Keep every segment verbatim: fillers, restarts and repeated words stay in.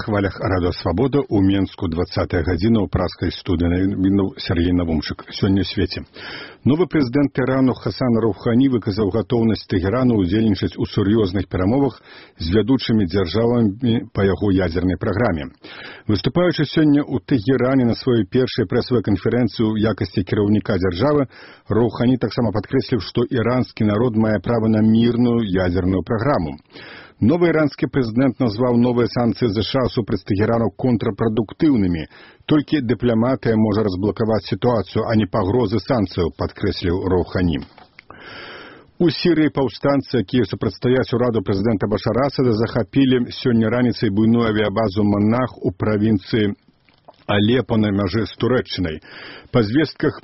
хвалях Радио Свобода у Менску двадцатая гадзіна ў праскай студыі навінаў Сергей Навумчык. Сёння ў свеце. Новы прэзідэнт Ірану Хасан Роухані выказаў гатоўнасць Тэхерану ўдзельнічаць у сур'ёзных перамовах з вядучымі дзяржавамі па яго ядзернай праграме. Выступаючы сёння ў Тэхеране на сваёй першай прэсавай канферэнцыі ў якасці кіраўніка дзяржавы, Роухані таксама падкрэсліў, што іранскі народ мае права на мірную ядзерную праграму. Новы іранскі прэзідэнт назваў новыя санкцыі ЗША супраць Тэхерану контрпрадуктыўнымі. Толькі дыпламатыя можа разблакаваць сітуацыю, а не пагрозы санкцыяў, падкрэсліў Роухані. У Сірыі паўстанцы, якія супрацьстаяць ураду прэзідэнта Башара Асада, захапілі сёння раніцай буйную авіябазу «Манах» у правінцыі Алепа на мяжы з Турэччынай. Па звестках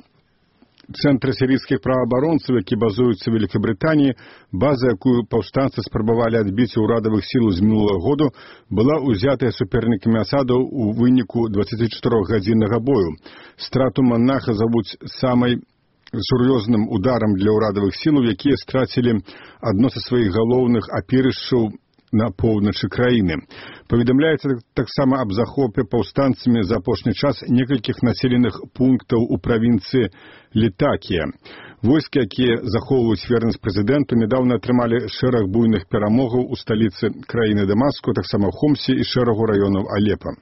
Цэнтра сірійскіх праваабаронцаў, які базуюцца ў Вялікабрытаніі, база, якую паўстанцы спрабавалі адбіць у ўрадавых сіл з мінулага году, была ўзятая супернікамі Асада ў выніку дваццацічатырохгадзіннага бою. Страту Манаха завуць самай сур'ёзным ударам для ўрадавых сілаў, якія страцілі адно са сваіх галоўных апірышчаў на поўначы краіны. Паведамляецца таксама аб захопе паўстанцамі за апошні час некалькіх населеных пунктаў у правінцыі Літакія. Войскі, якія захоўваюць вернасць прэзідэнту, нядаўна атрымалі шэраг буйных перамогаў у сталіцы краіны Дамаску, таксама ў Хомсе і шэрагу раёнаў Алепа.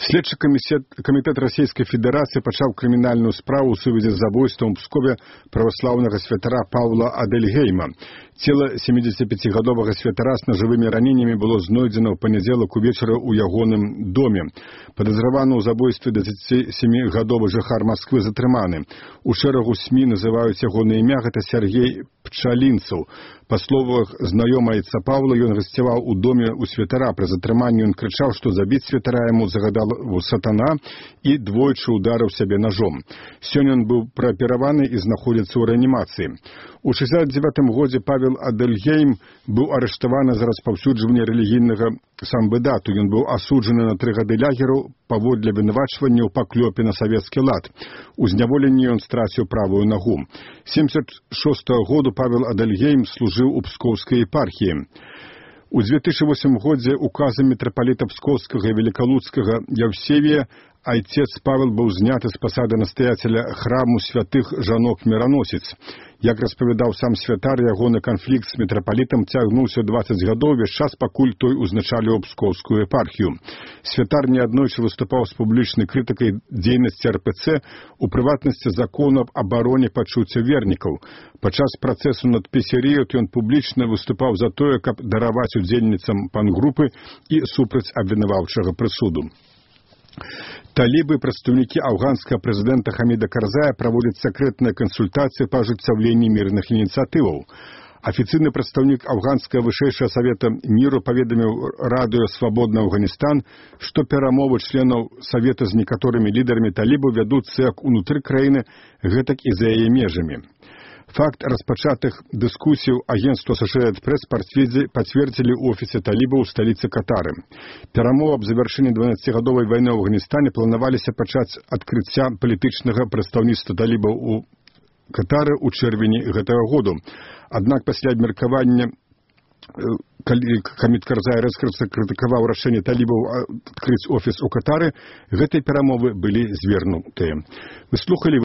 Следчы камітэт Расійскай Федэрацыі пачаў крымінальную справу ў сувязі з забойствам у Пскове праваслаўнага святара Паўла Адельгейма. Цела семідзесяціпяцігадовага святара з нажывымі раненнямі было знойдзена ў панядзелак увечары ў ягоным доме. Падазраваны ў забойстве дваццацісямігадовы жыхар Масквы затрыманы. У шэрагу СМІ называюць ягонае імя, гэта Сергей Пчалінцаў. Па словах знаёмайца Паўла, ён гасцяваў у доме ў святара. Пры затрыманні ён крычаў, што забіць святара яму загадал сатана і двойчы ударыў сябе ножом. Сёння ён быў праапераваны і знаходзіцца ў рэанімацыі. У шэсцьдзесят дзевятым годзе Павел Адельгейм быў арыштаваны за распаўсюджванне рэлігійнага самбыдату. Ён быў асуджаны на тры гады лягеру паводле абвінавачвання ў паклёпе на савецкі лад. У зняволенні ён страціў правую нагу. семьдесят шостага году Павел Адельгейм служыў у Пскоўскай епархіі. У две тысячи восьмым годзе указам мітрапаліта Пскоўскага і Велікалуцкага Яўсевія айцец Павел быў зняты з пасады настаяцеля храму святых жанок-міраносіц. Як распавядаў сам святар, ягоны канфлікт з мітрапалітам цягнуўся дваццаць гадоў, увесь час пакуль той узначаліў Пскоўскую епархію. Святар неаднойчы выступаў з публічнай крытыкай дзейнасці эр пэ цэ, у прыватнасці закону аб абароне пачуцця вернікаў. Падчас працэсу над Песерыяк ён публічна выступаў за тое, каб дараваць удзельніцам пангрупы і супраць абвінаваўчага прысуду. Талібы, прадстаўнікі афганскага прэзідэнта Хаміда Карзая праводзяць сакрэтныя кансультацыі па ажыццяўленні мірных ініцыятываў. Афіцыйны прадстаўнік афганскага вышэйшага савета міру паведаміў радыё «Свабодны Афганістан», што перамовы членаў савета з некаторымі лідарамі талібаў вядуцца як унутры краіны, гэтак і за яе межамі. Факт распачатых дыскусіяў агенцтва Associated Press пацвердзілі ў офісе талібаў у сталіцы Катары. Перамовы аб завяршэнні дванаццацігадовай вайны ў Афганістане планаваліся пачаць адкрыцця палітычнага прадстаўніцтва талібаў у Катары ў чэрвені гэтага году. Аднак пасля абмеркавання, калі Хамід Карзай рэзка крытыкаваў рашэнне талібаў адкрыць офіс у Катары, гэтыя перамовы былі звернутыя. Вы слухалі